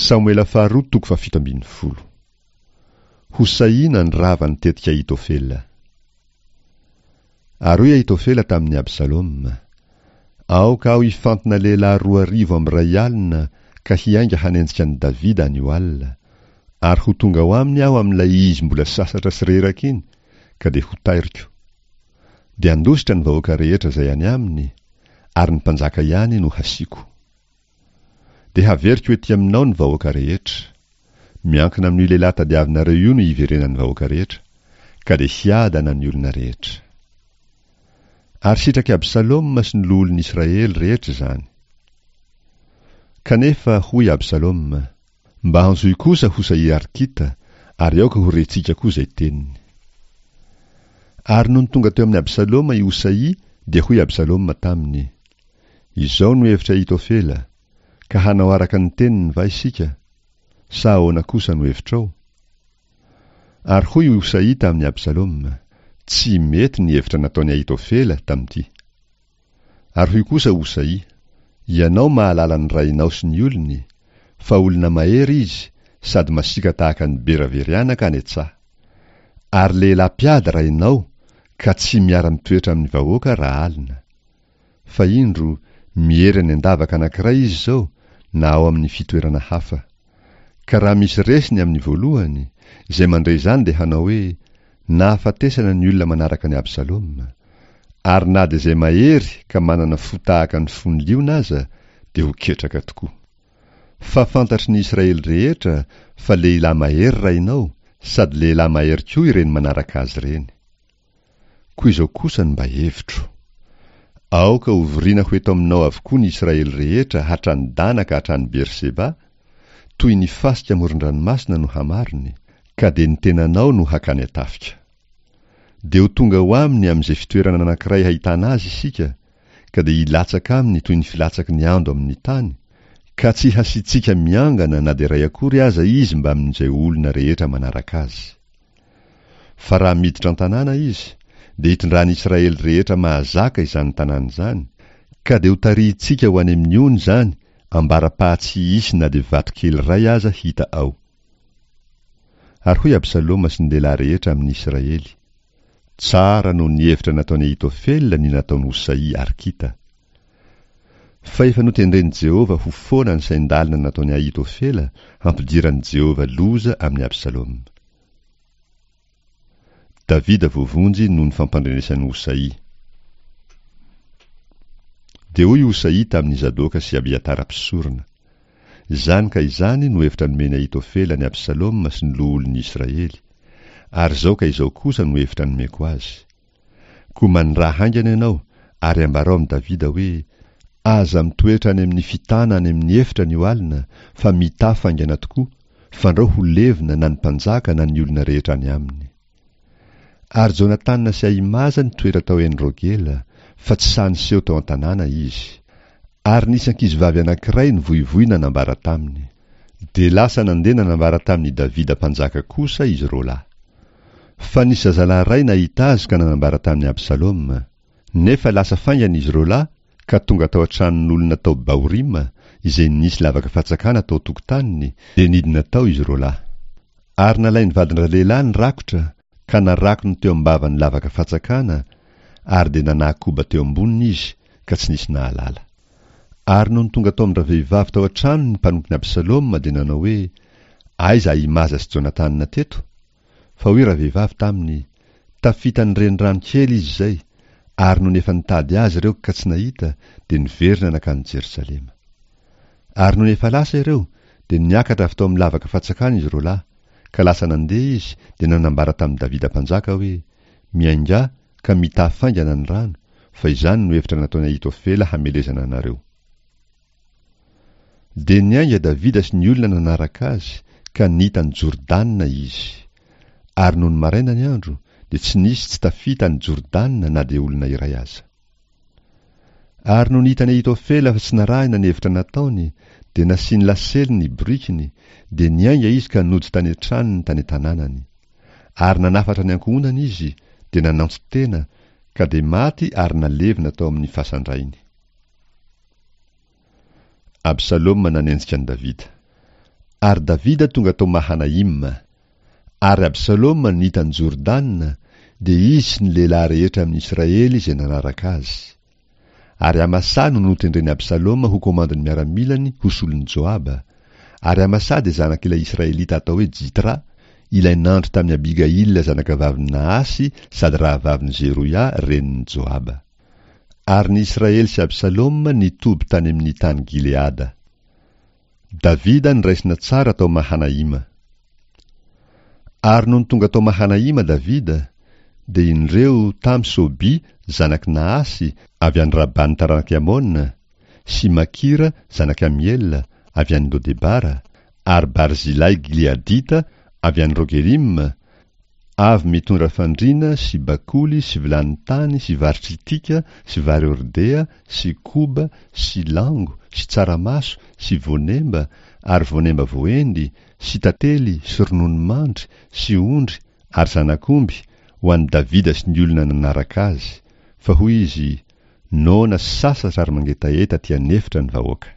Samoela faharoa toko faha-17. Hosaia nandrava ny tetik'i Ahitofela. Ary hoy Ahitofela tamin'i Absaloma, Aoka aho hifantina lehilahy 2000 amby 1000 ka hiainga hanenjika an'i Davida anio alina, ary ho tonga ao aminy aho amin'ilay izy mbola sasatra sy reraka iny, ka dia hotairiko. Dia handositra ny vahoaka rehetra izay any aminy, ary ny mpanjaka ihany no hasiako. Dia haveriko ety aminao ny vahoaka rehetra. Miankina amin'io lehilahy tadiavinareo io no hiverenan'ny vahoaka rehetra, ka dia hiadana ny olona rehetra. Ary sitrak'i Absaloma sy ny loholon'i Israely rehetra izany. Kanefa hoy Absaloma, Mba antsoy kosa Hosaia Arkita, ary aoka ho rentsika koa izay teniny. Ary nony tonga teo amin'i Absaloma i Hosaia, dia hoy Absaloma taminy, Izao no hevitr'i Ahitofela, ka hanao araka ny teniny va isika? Sa ahoana kosa no hevitrao? Ary hoy i Hosaia tamin'i Absaloma, Tsy mety ny hevitra nataon'i Ahitofela tamin'ity. Ary hoy kosa Hosaia, Ianao mahalala ny rainao sy ny olony, fa olona mahery izy sady masiaka tahaka ny bera very anaka any an-tsaha. Ary lehilahy mpiady rainao ka tsy miara-mitoetra amin'ny vahoaka raha alina. Fa indro, miery any an-davaka anankiray izy izao, na ao amin'ny fitoerana hafa. Ka raha misy resy ny amin'ny voalohany, izay mandre izany dia hanao hoe, Nahafatesana ny olona manaraka an'i Absaloma. Ary na dia izay mahery ka manana fo tahaka ny fon'ny liona aza, dia ho ketraka tokoa. Fa fantatry ny Israely rehetra fa lehilahy mahery rainao, sady lehilahy mahery koa ireny manaraka azy ireny. Koa izao kosa no mba hevitro. Aoka hovoriana ho eto aminao avokoa ny Israely rehetra hatrany Dana ka hatrany Berseba, toy ny fasika amoron-dranomasina no hamariny, ka dia ny tenanao no hakany an-tafika. Dia ho tonga ho aminy amin'izay fitoerana anankiray hahitana azy isika, ka dia hilatsaka aminy toy ny filatsaky ny ando amin'ny tany, ka tsy hasiantsika miangana na dia iray akory aza izy mbamin'izay olona rehetra manaraka azy. Fa raha miditra an-tanàna izy, dia hitondran'i Israely rehetra mahazaka izany tanàna izany, ka dia hotarihintsika ho any amin'ny ony izany ambara-paha tsy hisy na dia vato kely iray aza hita ao. Ary hoy Absaloma sy ny lehilahy rehetra amin'i Israely, Tsara noho ny hevitra nataon'i Ahitofela ny nataon'i Hosaia Arkita. Fa efa notendren'i Jehovah ho foana ny sain-dalina nataon'i Ahitofela hampidiran'i Jehovah loza amin'i Absaloma. Davida voavonjy noho ny fampandrenesan'i Hosaia. Dia hoy Hosaia tamin'i Zadoka sy Abiatara mpisorona, Izany ka izany no hevitra nomen'i Ahitofela an'i Absaloma sy ny loholon'ny Israely, ary izao ka izao kosa no hevitra nomeko azy. Koa maniraha haingana ianao, ary ambarao amin'i Davida hoe, Aza mitoetra any amin'ny fitana any amin'ny efitra anio alina, fa mità faingana tokoa, fandrao ho levona na ny mpanjaka na ny olona rehetra any aminy. Ary Jonatana sy Ahimaza nitoetra tao En-rogela, fa tsy sahy niseho tao an-tanàna izy. Ary nisy ankizivavy anankiray nivoivoy nanambara taminy. Dia lasa nandeha nanambara tamin'i Davida mpanjaka kosa izy roalahy. Fa nisy zazalahy iray nahita azy ka nanambara tamin'i Absaloma. Nefa lasa faingana izy roalahy ka tonga tao an-tranon'olona tao Bahorima, izay nisy lavaka fatsakana tao an-tokotaniny, dia nidina tao izy roalahy. Ary nalain'ny vadin-dralehilahy ny rakotra ka narakony teo am-bavan'ny lavaka fatsakana, ary dia nanakoba teo amboniny izy, ka tsy nisy nahalala. Ary nony tonga tao amin-dravehivavy tao an-trano ny mpanompon'i Absaloma dia nanao hoe, Aiza Ahimaza sy Jonatana teto? Fa hoy ravehivavy taminy, Tafita ny renirano kely izy izay, ary nony efa nitady azy ireo ka tsy nahita, dia niverina nankany Jerosalema. Ary nony efa lasa ireo, dia niakatra avy tao amin'ny lavaka fatsakana izy roalahy, ka lasa nandeha izy, dia nanambara tamin'i Davida mpanjaka hoe, Miaingà ka mità faingana ny rano, fa izany no hevitra nataon'i Ahitofela hamelezana anareo. Dia niainga Davida sy ny olona nanaraka azy, ka nita an'i Jordana izy. Ary nony maraina ny andro, dia tsy nisy tsy tafita an'i Jordana na dia olona iray aza. Ary nony hitan'i Ahitofela fa tsy narahina ny hevitra nataony, dia nasiany lasely ny borikiny, dia niainga izy ka nody tany an-tranony tany an-tanànany. Ary nanafatra ny ankohonany izy, dia nanantso tena, ka dia maty ary nalevina tao amin'ny fasan-drainy. Absaloma nanenjika an'i Davida. Ary Davida tonga tao Mahanaima. Ary Absaloma nita an'i Jordana, dia izy sy ny lehilahy rehetra amin'i Israely izay nanaraka azy. Ary Amasà no notendren'i Absaloma ho komandin'ny miaramilany ho solon'i Joaba. Ary Amasà dia zanak'ilay Israelita atao hoe Jitra, ilay nandry tamin'i Abigaila zanakavavin'i Nahasy sady rahavavin'i Zeroia renin'i Joaba. Ary ny Israely sy Absaloma nitoby tany amin'ny tany Gileada. Davida noraisina tsara tao Mahanaima. Ary nony tonga tao Mahanaima Davida, dia indreo tamy Soby zanak'i Nahasy avy any Rabany taranak'i Amona, sy Makira zanak'i Amiela avy any Lodebara, ary Barzilay Gileadita avy any Rogelima, Avy mitondra fandriana sy bakoly sy vilany tany sy vary tritika sy vary hordea sy koba sy lango sy tsaramaso sy voanemba ary voanemba voaendy sy tantely sy ronono mandry sy ondry ary zanak'omby ho an'i Davida sy ny olona nanaraka azy, fa hoy izy, Noana sy sasatra ary mangetaheta aty an'efitra ny vahoaka.